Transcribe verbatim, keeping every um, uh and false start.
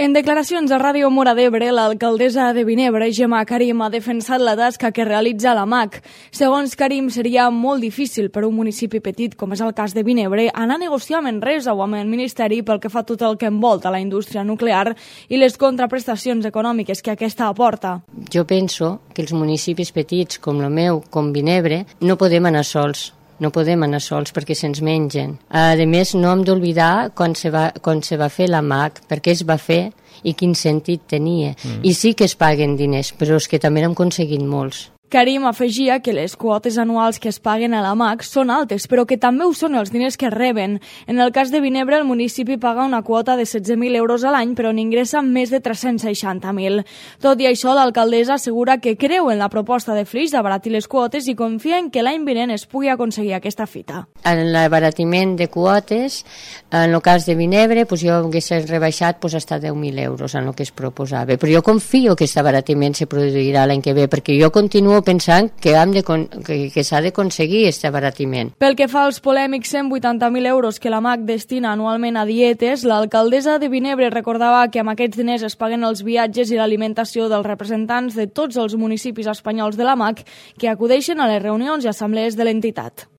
En declaracions a Ràdio Móra d'Ebre, l'alcaldessa de Vinebre, Gemma Karim, ha defensat la tasca que realitza la M A C. Segons Karim, seria molt difícil per un municipi petit, com és el cas de Vinebre, anar a negociar amb Enresa o amb el Ministeri pel que fa tot el que envolta la indústria nuclear i les contraprestacions econòmiques que aquesta aporta. Jo penso que els municipis petits, com el meu, com Vinebre, no podem anar sols. No podem anar sols perquè se'ns mengen. A més, no hem d'oblidar quan se va, quan se va fer la M A C, per què es va fer i quin sentit tenia. Mm. I sí que es paguen diners, però és que també n'hem aconseguit molts. Karim afegia que les quotes anuals que es paguen a la M A C són altes, però que també ho són els diners que reben. En el cas de Vinebre, el municipi paga una quota de setze mil euros a l'any, però n'ingressa més de tres-cents seixanta mil. Tot i això, l'alcaldessa assegura que creu en la proposta de Flix d'abaratir les quotes i confia en que l'any vinent es pugui aconseguir aquesta fita. En l'abaratiment de quotes, en el cas de Vinebre, doncs jo hagués rebaixat doncs, hasta deu mil euros en el que es proposava. Però jo confio que aquest abaratiment se produirà l'any que ve, perquè jo continuo pensant que, hem de, que, que s'ha d'aconseguir aquest abaratiment. Pel que fa als polèmics cent vuitanta mil euros que la M A C destina anualment a dietes, l'alcaldessa de Vinebre recordava que amb aquests diners es paguen els viatges i l'alimentació dels representants de tots els municipis espanyols de la M A C que acudeixen a les reunions i assemblees de l'entitat.